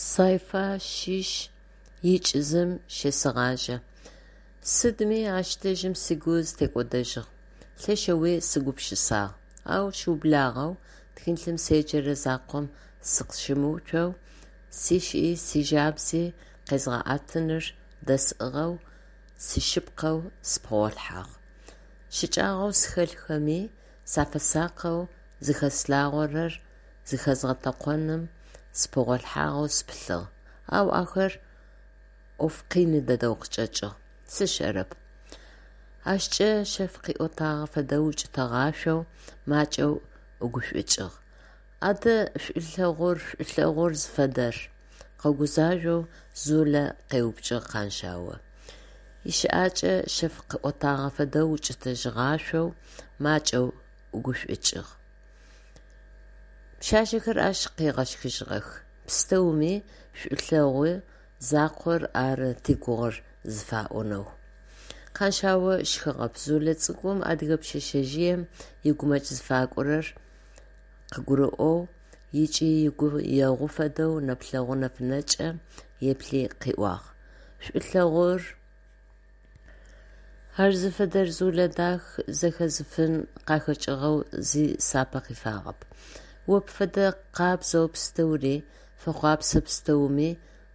Сайфа шъищ икӏ зым щесэгъажьэ. Сыдми ащ дэжьым сыгу зытекӏодэжьыгъ, лъэшэуи сыгупшысагъ. Ау щыублагъэу тхылъым седжэрэ закъом сыкъыщымыуцоу, сишӏи сижабзи къезгъэӏэтыныр дэсӏыгъэу, сишъыпкъэу сыпэгъолъхьагъ. Щыкӏагъэу схэлъхэми сафэсакъэу, зыхэслъагъорэр зыхэзгъэтэкъоным сыпэгъолъхьагъэу сыпылъыгъ, ау ахэр ӏоф къины дэдэу къычӏэкӏыгъ. Сшӏэрэп. Ащкӏэ шъэф къыӏотагъэ фэдэу укӏытэгъашъоу, макӏэу ӏугушӏукӏыгъ. Адэ шӏулъэгъур, шӏулъэгъур зыфэдэр? – къэгузажъоу Зулэ къеупчӏыгъ Къаншъао. Ищыӏакӏэ шъэф къыӏотагъэ фэдэу укӏытэжьыгъашъоу, макӏэу ӏугушӏукӏыгъ. Пшъашъэхэр ащ къыгъэщхыжьыгъэх: «Пстэуми шӏулъэгъу закъор ары тигугъэр» зыфаӏонэу. Къаншъао щхыгъэп, Зулэ цӏыкӏум, адыгэ пшъэшъэжъыем игумэкӏ зыфакӏорэр къыгурыӏоу ыкӏи ыгу егъу фэдэу нэплъэгъу нэфынэкӏэ еплъи къыӏуагъ: «Шӏулъэгъур? Ар зыфэдэр, Зулэ дах, зэхэзыфын къахэкӏыгъэу зи сапэ къифагъэп. О пфэдэ къабзэу пстэури, фэхъуапсэ пстэуми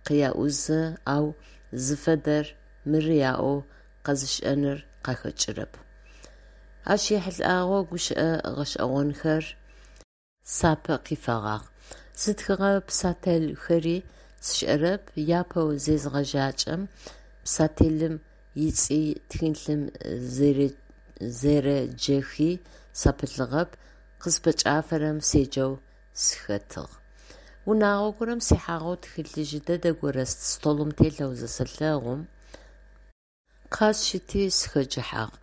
къяӏузы, ау зыфэдэр мыры аӏоу къэзышӏэныр къахэкӏырэп. Ащ ехьылӏагъэу гущыӏэ гъэшӏэгъонхэр сапэ къифэгъагъ. Зытхыгъэ писательхэри сшӏэрэп, апэу зезгъэжьакӏэм писателым ыцӏи, тхылъым зэреджэхи сапылъыгъэп, къыспэкӏафэрэм седжэу сыхэтыгъ. Унагъо горэм сихьагъэу тхылъ жъы дэдэ горэ столым телъэу зысэлъэгъум, къэсшти сыхэджыхьагъ.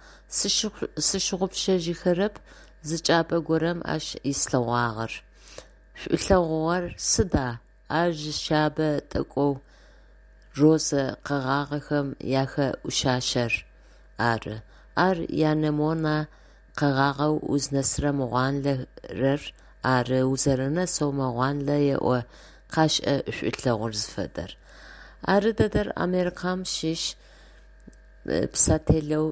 Сщыгъупшэжьыхэрэп зы чӏыпӏэ горэм ащ ислъэгъуагъэр: шӏулъэгъугъэр сыда? Ар жьы шъэбэ тӏэкӏоу розэ къэгъагъэхэм яхэӏушъашъэр ары, ар анемонэ къэгъагъэу узнэсырэм гъуанлэрэр ары, узэрэнэсэу мэгъуанлэ еӏо, къашӏэ шӏулъэгъур зыфэдэр. Ары дэдэр Америкэм щыщ писателэу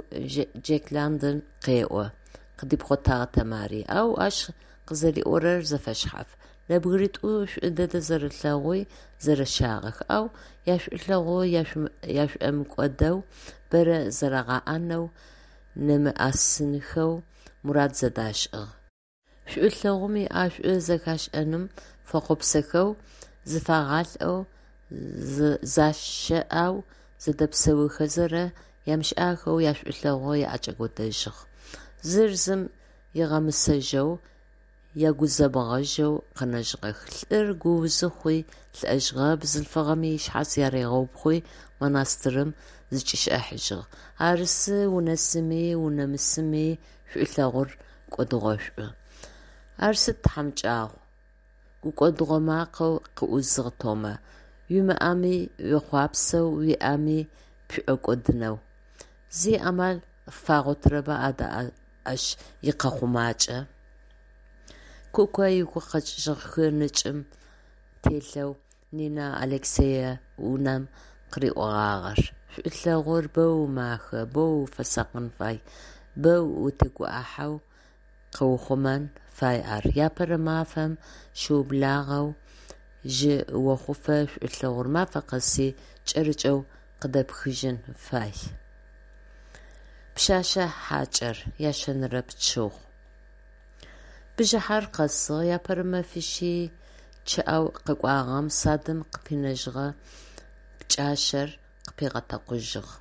Джек Лондон къеӏо, – къыдипхъотагъ Тэмари, – ау ащ къызэриӏорэр зэфэшъхьаф. Нэбгыритӏу шӏу дэдэ зэрэлъэгъуи зэрэщагъэх, ау яшӏулъэгъу ашӏомыкӏодэу, бэрэ зэрагъэӏэнэу, нэмыӏэсынхэу мурад зэдашӏыгъ. Шӏулъэгъум иӏэшӏу зэхашӏэным фэхъуапсэхэу, зыфагъалӏэу, защэӏэу зэдэпсэухэзэ, ямышӏахэу яшӏулъэгъу аӏэкӏэкӏодэжьыгъ. Зыр зым ыгъэмысэжьэу, ягузэбгъэжьэу къэнэжьыгъэх. Лӏыр гуузы хъуи лӏэжьыгъэ, бзылъфыгъэми ышъхьац аригъэупхъуи монастырым зычӏишӏыхьажьыгъ. Арысы унэсыми унэмысыми шӏулъэгъур кӏодыгъошӏу. Ар сыд тхьамыкӏагъу! – гукӏодыгъо макъэу къыӏузыгъ Томэ. Уимыӏэми уехъуапсэу, уиӏэми пшӏокӏодынэу. Зи амал фагъотырэба адэ ащ икъэхъумакӏэ? Куко ыгу къэкӏыжьыгъ хы нэкӏым телъэу Нинэ Алексеевнам къыриӏогъагъэр: «Шӏулъэгъур боу махэ, боу уфэсакъын фай, боу утегуӏыхьэу къэухъумэн фай ар. Апэрэ мафэм щыублагъэу жъы охъуфэ шӏулъэгъур мафэ къэси кӏэрыкӏэу къыдэпхыжьын фай». Пшъэшъэ хьакӏэр, ящэнэрэ пчыгъу. Бжыхьэр къэсыгъ, апэрэ мэфищи чъыӏэу къэкӏуагъэм садым къыпинэжьыгъэ пкӏашъэр къыпигъэтэкъужьыгъ.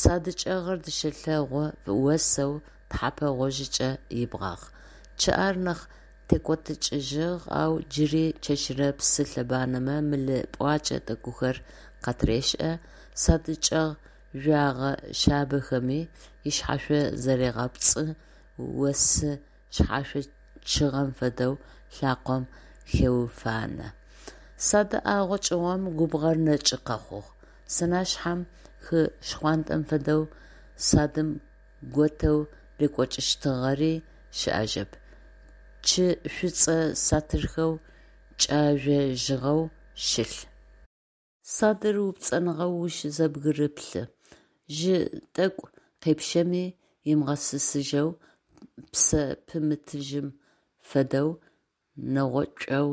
Сады чӏэгъыр дышъэ лъэгъу осэу тхьэпэ гъожьыкӏэ ибгъагъ. Чъыӏэр нахь текӏотыкӏыжьыгъ, ау джыри чэщырэ псы лъэбанэмэ мылы пӏуакӏэ тӏэкӏухэр къатырешӏэ, садычӏэгъ жъогъэ шъабэхэми ышъхьашъо зарегъэпцӏы, осы шъхьашъо чъыгъэм фэдэу лъакъом хеуфанэ. Сады ӏэгъо чӏыгъом губгъор нэкӏы къэхъугъ. Сэнашъхьэм хы шхъуантӏэм фэдэу садым готэу рекӏокӏыщтыгъэри щыӏэжьэп, чы шӏуцӏэ сатырхэу кӏэжъожьыгъэу щылъ. Садыр упцӏэныгъэу ущызэбгырэплъы, жьы тӏэкӏу къепщэми ымыгъэсысыжьэу, псэ пымытыжьым фэдэу нэгъуцоу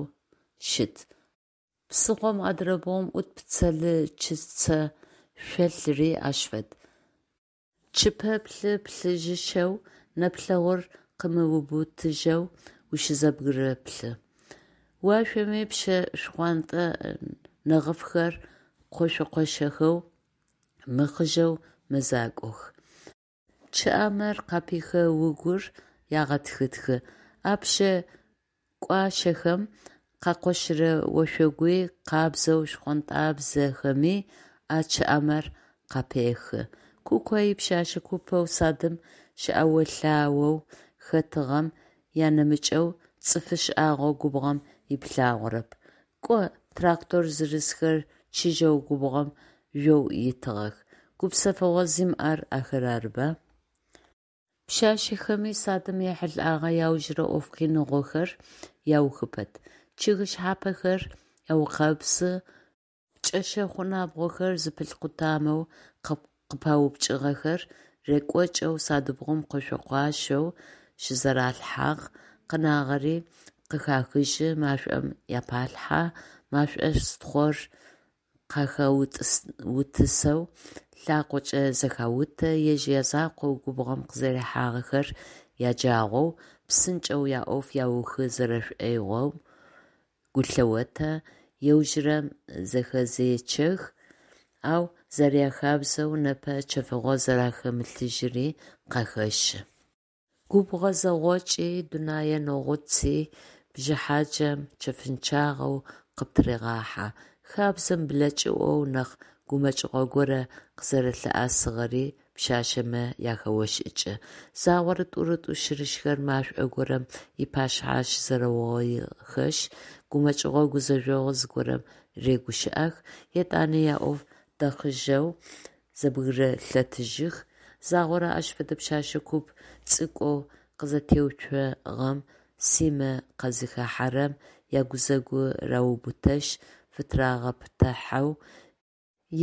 щыт. Псыхъом адырэ бгъум ӏут пцэлычыцэ шъолъыри ащ фэд: чыпэплъы плъыжьышэу, нэплъэгъур къымыубытыжьэу ущызэбгырэплъы. Уашъоми пщэ шхъуантӏэ нэгъыфхэр къошъо-къошъохэу мыхъыжьэу мэзакӏох, чъыӏамэр къапихэу угур ягъэтхытхы. А пщэ кӏуашъэхэм къакъощырэ ошъогу къабзэу шхъонтӏабзэхэми а чъыӏамэр къапехы. Куко ипшъэшъэ купэу садым щыӏэо-лъаоу хэтыгъэм анэмыкӏэу цӏыфы шӏагъо губгъом иплъагъорэп. Кӏо, трактор зырызхэр чыжьэу губгъом жъоу итыгъэх. Гупсэфыгъо зимыӏэр ахэр арыба? Пшъашъэхэми садым ехьылӏэгъэ иаужырэ ӏоф къиныгъохэр яухы пэт: чъыг шъхьапэхэр аукъэбзы, пкӏэшъэ хъу-набгъохэр зыпылъ къутамэу къыпаупкӏыгъэхэр рекӏокӏэу садыбгъум къошъо-къуашъоу щызэралъхьагъ, къэнагъэри къыхахыжьы, машӏом апалъхьэ, машӏостхъор къахаутысэу лъакъокӏэ зэхаутэ, ежь язакъоу губгъом къызэрихьагъэхэр яджагъоу, псынкӏэу яӏоф аухы зэрэшӏоигъом гу лъеотэ, аужырэм зэхэзечэх, ау, зэряхабзэу, непэ чэфыгъо зэрахэмылъыжьыри къахэщы. Губгъо зэгъокӏи, дунэе нэгъуци бжыхьаджэм чэфынчъагъэу къыптырегъахьэ, хабзэм блэкӏыӏоу нахь гумэкӏыгъо горэ къызэрэлъыӏэсыгъэри пшъашъэмэ ахэошӏыкӏы. Загъорэ тӏурытӏу-щырыщхэр машӏо горэм ыпашъхьэ щызэрэугъоихэшъ, гумэкӏыгъо-гузэжъогъу зыгорэм рэгущыӏэх, етӏани яӏоф дэхъыжьэу зэбгырэлъэтыжьых. Загъорэ ащ фэдэ пшъэшъэ куп цӏыкӏоу къызэтеуцогъэм Симэ къазыхахьэрэм, ягузэгу раубытэшъ, фытырагъэпытыхьэу,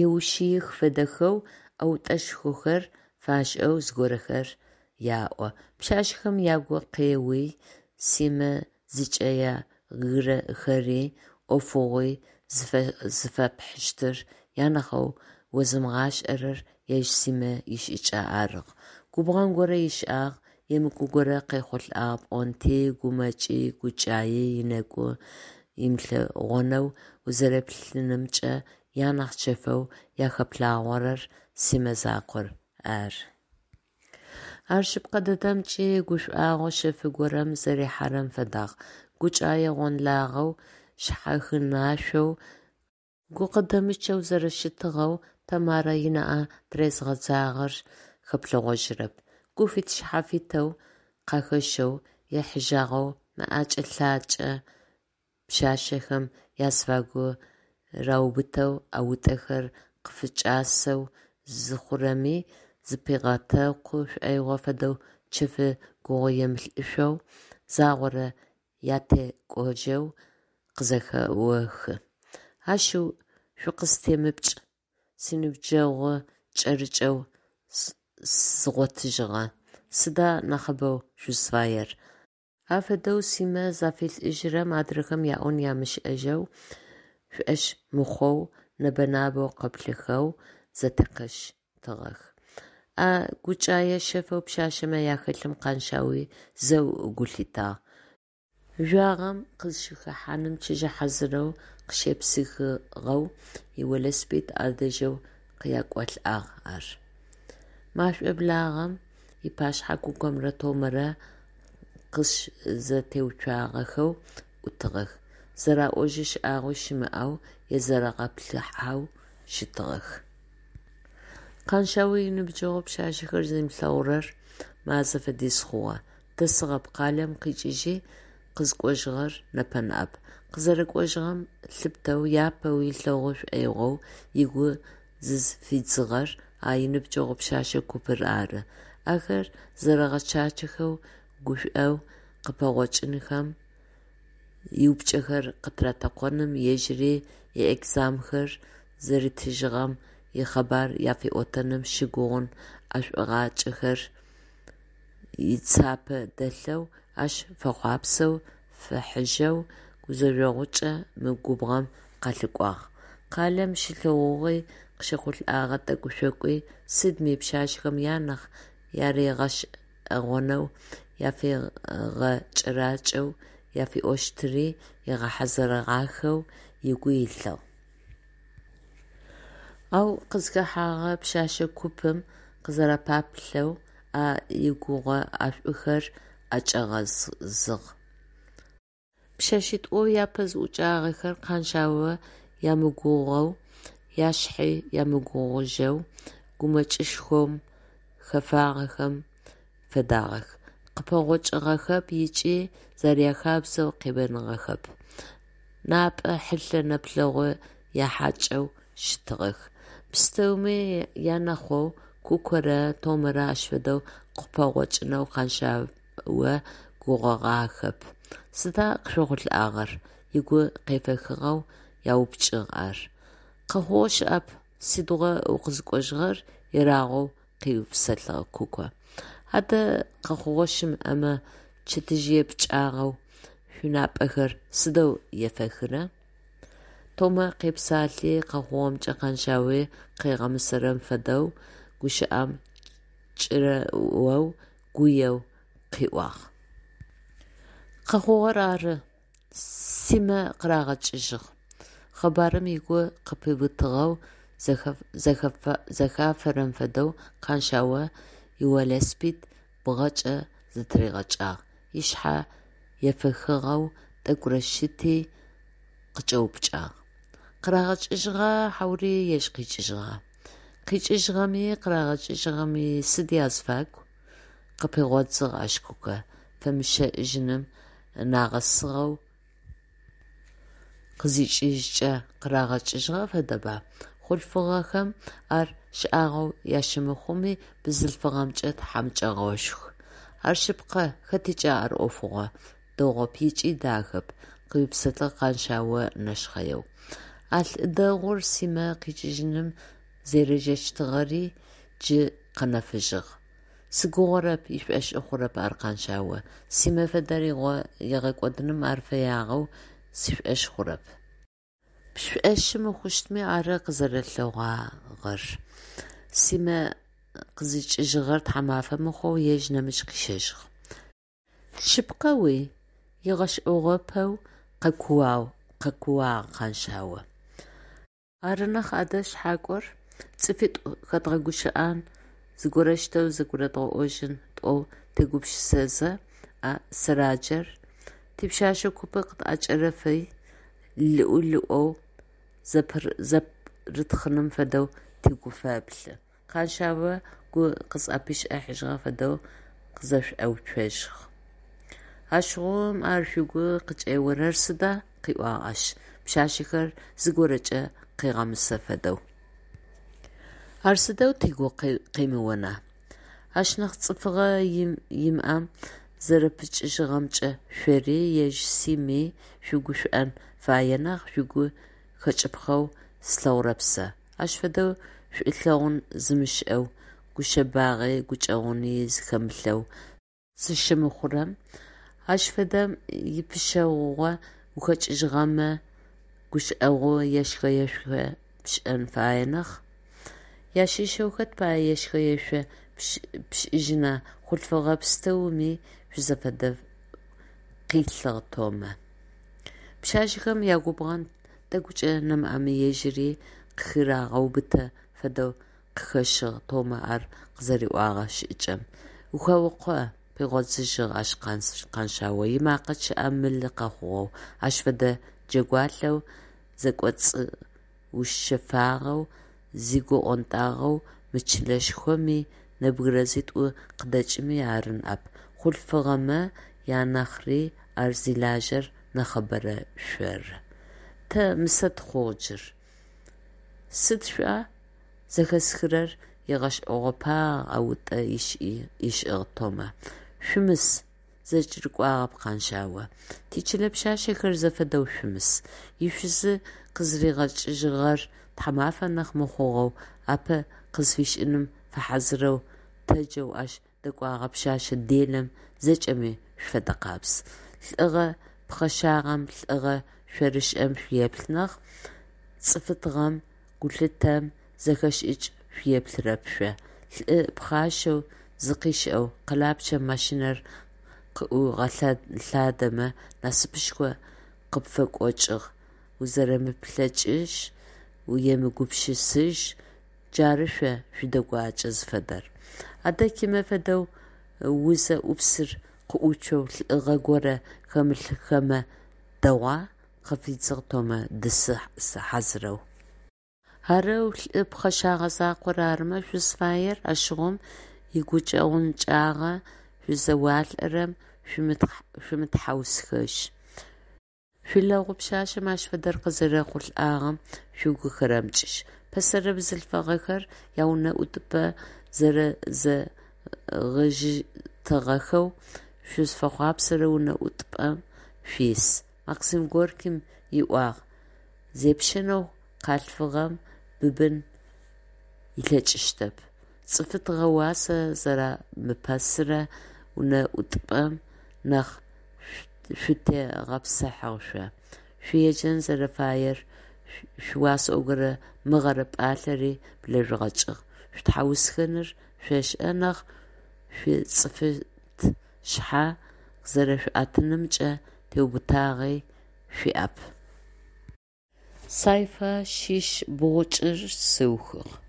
еушъыих фэдэхэу, ӏэутӏэшхохэр фашӏэу зыгорэхэр яӏо. Пшъашъэхэм ягу къеуи Симэ зыкӏягырэхэри ӏофыгъуи зыфэпхьыщтыр анахьэу озымыгъашӏэрэр ежь Симэ ишӏыкӏэ арыгъ. Губгъэн горэ ышӏагъ, емыкӏу горэ къехъулӏагъ пӏонти, гумэкӏи гукӏаий ынэгу имылъэгъонэу, узэреплъынымкӏэ анахь чэфэу ахэплъагъорэр Симэ закъор ары. Ар шъыпкъэ дэдэмкӏи гушӏуагъо шъэф горэм зэрихьэрэм фэдагъ, гукӏае гъонлагъэу, шъхьахынашъоу, гукъыдэмычъэу зэрэщытыгъэу Тэмарэ ынаӏэ тырезгъэдзагъэр хэплъэгъожьырэп. Гуфит-шъхьафитэу къахэщэу ехьыжьагъэу мэӏэкӏэ-лъакӏэ пшъашъэхэм азыфагу раубытэу ӏэутӏэхэр къыфыкӏасэу зыхъурэми, зыпигъэтэкъу шӏоигъо фэдэу чэфы гугъуемылӏышъоу загъорэ ятекӏожьэу къызэхэохы: «Ашъыу, шъукъыстемыпкӏ, синыбджэгъу кӏэрыкӏэу згъотыжьыгъэ, сыда нахьыбэу шъузфаер?» Афэдэу Симэ зафилӏыжьырэм, адрэхэм яӏон ямышӏэжьэу, шӏошъ мыхъоу, нэбэ-набэу къэплъэхэу зэтекъощтыгъэх. А гукӏэе шъэфэу пшъашъэмэ ахэлъым Къаншъауи зэу гу лъитагъ. Жъуагъэм къызщыхэхьаным чыжьэ хьазырэу къыщепсыхыгъэу ивелосипед ӏэдэжьэу къякӏолӏагъ ар. Машӏо благъэм ыпашъхьэ Кукомрэ Томэрэ къызщызэтеуцуагъэхэу ӏутыгъэх, зэраӏожьы шӏагъуи щымыӏэу, езэрэгъэплъыхьэу щытыгъэх. Къаншъао иныбджэгъу пшъашъэхэр зимылъэгъурэр мазэ фэдиз хъугъэ. Дэсыгъэп, къалэм къикӏыжьи къызыкӏожьыгъэр непэ ныӏэп. Къызэрэкӏожьыгъэм лъыпытэу апэу ылъэгъу шӏоигъоу ыгу зызыфидзыгъэр а иныбджэгъу пшъэшъэ купыр ары. Ахэр зэрэгъэчачэхэу гушӏоу къыпэгъокӏынхэм, иупчӏэхэр къытыратэкъоным, ежьыри иэкзаменхэр зэритыжьыгъэм икъэбар афиӏотэным щыгугъын ӏэшӏугъакӏэхэр ыцапэ дэлъэу, ащ фэхъуапсэу, фихьыжьэу гузэжъогъукӏэ мы губгъом къалъыкӏуагъ. Къалэм щилъэгъугъи, къыщехъулӏэгъэ тӏэкӏу-шъокӏуи, сыдми пшъашъэхэм анахь яригъэшӏэгъонэу, афигъэкӏэракӏэу афиӏощтыри ыгъэхьазырыгъахэу ыгу илъыгъ. Ау къызхэхьэгъэ пшъэшъэ купым къызэрэпаплъэу а игугъэ ӏэшӏухэр ӏэкӏагъэзыгъ. Пшъэшъитӏоу апэ зыӏукӏагъэхэр Къаншъао ямыгугъоу, яшъхьи ямыгугъужьэу, гумэкӏышхом хэфагъэхэм фэдагъэх: къыпэгъокӏыгъэхэп ыкӏи, зэряхабзэу, къебэныгъэхэп. Напӏэ хьылъэ нэплъэгъу яхьакӏэу щытыгъэх. Пстэуми анахьэу Кукорэ Томэрэ ащ фэдэу къыпэгъокӏынэу Къаншъао гугъэгъахэп. «Сыда къышъохъулӏагъэр?» – ыгу къефэхыгъэу яупчӏыгъ ар. «Къэхъугъэ щыӏэп, сыдигъуа укъызыкӏожьыгъэр?» – ерагъэу къыупсэлъыгъ Куко. «Адэ къэхъугъэ щымыӏэмэ, чэтжъые пкӏагъэу шъунапӏэхэр сыдэу ефэхырэ?» Томэ къепсалъи, къэхъугъэмкӏэ Къаншъауи къыгъэмысэрэм фэдэу гущыӏэм кӏырыоу, гуеу къыӏуагъ. Къэхъугъэр ары: Симэ къырагъэкӏыжьыгъ. Къэбарым ыгу къыпиутыгъэу, зэхафэрэм фэдэу Къаншъао ивелосипед бгъэкӏэ зытыригъэкӏагъ, ышъхьэ ефэхыгъэу тӏэкӏурэ щыти, къыкӏэупчӏагъ: Къырагъэкӏыжьыгъа, хьаури ежь къикӏыжьыгъа? Къикӏыжьыгъэми къырагъэкӏыжьыгъэми сыд азыфагу? Къыпигъодзыгъ ащ Куко, фэмыщэӏэжьыным нагъэсыгъэу къызикӏыжькӏэ къырагъэкӏыжьыгъэ фэдэба? Хъулъфыгъэхэм ар шӏагъоу ащымыхъуми, бзылъфыгъэмкӏэ тхьамыкӏэгъошху. Ар шъыпкъэ, хэтыкӏи ар ӏофыгъо дэгъоп ыкӏи дахэп, къыупсэлъыгъ Къаншъао нэшхъэеу. А лӏы дэгъур Симэ къикӏыжьыным зэрежэщтыгъэри джы къэнэфыжьыгъ. Сыгугъэрэп, ышӏошъ хъурэп ар Къаншъао. Симэ фэдэр ыгъэкӏодыным ар фэягъэу сшӏошъ хъурэп. Пшӏошъы мыхъущтми, ары къызэрэлъэгъуагъэр. Симэ къызикӏыжьыгъэр тхьамафэ мыхъоу ежь нэмыкӏ къыщэжьыгъ. Шъыпкъэуи? – ыгъэшӏэгъопэу къэкууагъ Къаншъао. Ары нахь адэ шъхьакӏор! ЦӀыфитӀу хэдгъэгущыӀэн, зыгорэущтэу зэгурыдгъэӀожьын тӀоу тегупшысэзэ, а сэраджэр типшъэшъэ купы къытӀэкӀэрэфи, лыӀу-лыӀоу зэпырытхъыным фэдэу тыгу фэплъы, – Къаншъао гу къызӏэпишӏыхьажьыгъэ фэдэу къызэшӏоуцожьыгъ. Ащыгъум ар шъугу къыкӏеорэр сыда? – къыӏуагъ ащ, пшъашъэхэр зыгорэкӏэ къыгъэмысэ фэдэу. Ар сыдэу тыгу къемыона? Ащ нахь цӏыфыгъэ имыӏэм зэрэпыкӏыжьыгъэмкӏэ шъори, ежь Сими шъугушӏон фае нахь, шъугу хэкӏыпхъэу слъэгъурэп сэ. Ащ фэдэу шӏулъэгъун зымышӏэу, гушъэбагъи гукӏэгъуни зыхэмылъэу зыщымыхъурэм, ащ фэдэм ипыщэгъугъэ ухэкӏыжьыгъэмэ, гукӏэгъу ешхэ-ешъо пшӏын фае нахь. Ящыщэу хэт пае ешхэ-ешъо пшӏыжьына, хъулъфыгъэ пстэуми шъузэфэдэу къилъыгъ Томэ. Пшъашъэхэм ягубгъэн тӀэкӏукӀэ нэмыӏэми ежьыри къыхырагъэубытэ фэдэу къыхэщыгъ Томэ ар къызэриӏогъэ шӏыкӏэм. «Ухэукъо», – пигъодзыжьыгъ ащ Къаншъао, ымакъэ чъыӏэ мылы къэхъугъэу, ащ фэдэ джэгуалъэу, зэкӏоцӏыушъэфагъэу, зыгу ӏонтӏагъэу мы чылэшхоми нэбгырэ зытӏу къыдэкӏыми ары ныӏэп, хъулъфыгъэмэ анахьри ар зилажьэр нахьыбэрэ шъоры. Тэ мысэ тыхъугъ джы. Сыд шъуӏуа? – зэхихырэр ыгъэшӏэгъопагъ, ӏэутӏэ ышӏыгъ Томэ. Шъумыс! – зэкӏэрыкӏуагъэп Къаншъао. Тичылэ пшъашъэхэр зэфэдэу шъумыс! Ишъузы Къызыригъэкӏыжьыгъэр тхьамафэ нахь мыхъугъэу, ӏапэ къызфишӏыным фэхьазырэу тэджэу ащ дэкӏогъэ пшъэшъэ делэм зэкӏэми шъуфэдэкъабз. Лӏыгъэ пхъэшагъэм, лӏыгъэ шъорышӏэм шъуеплъы нахь, цӏыфытыгъэм, гулъытэм, зэхэшӏыкӏ шъуеплъырэп шъо! Лӏы пхъашэу, зыкъишӏэу къэлапчъэм машинэр къыӏуигъэлъадэмэ, насыпышхо къыпфыкъокӏыгъ, узэрэмыплъэкӏыжь, емыгупшысыжь, джары шъо шъуидэгуакӏэ зыфэдэр. Адэ Кимэ фэдэу узэ ӏупсыр къыӏуцоу лӏыгъэ горэ хэмылъыхэмэ дэгъуа? – къыфидзыгъ Томэ дысы хьазырэу. Арэу лӏы пхъэшагъэ закъор арымэ шъузфаер, ащыгъум игукӏэгъунчъагъэ шъузэуалӏэрэм шъумытхьаусхэжь. Шъуилэгъу пшъашъэм ащ фэдэр къызэрехъулӏагъэм шъугу хэрэмыкӏыжь. Пэсэрэ бзылъфыгъэхэр яунэӏутыпӏэ зэрэзэгъыжьытыгъэхэу шъузфэхъуапсэрэ унэӏутыпӏэм шъуис. Максим Горькэм иӏуагъ: «Зепщэнэу къалъфыгъэм быбын ылъэкӏыщтэп». Цӏыфытыгъэ уасэ зэрамыпэсырэ унэӏутыпӏэм нахь шъутегъэпсыхьагъ шъо. Шъуеджэн зэрэфаер шъуасӏогэрэ мыгъэрэ пӏалъэри блэжъугъэкӏыгъ. Шъутхьаусхэныр шъошӏэ нахь, шъуицӏыфыт шъхьэ къызэрэшъуӏэтынымкӏэ теубытагъи шъуиӏэп. Сайфа шъищ бгъукӏыр сыухыгъ.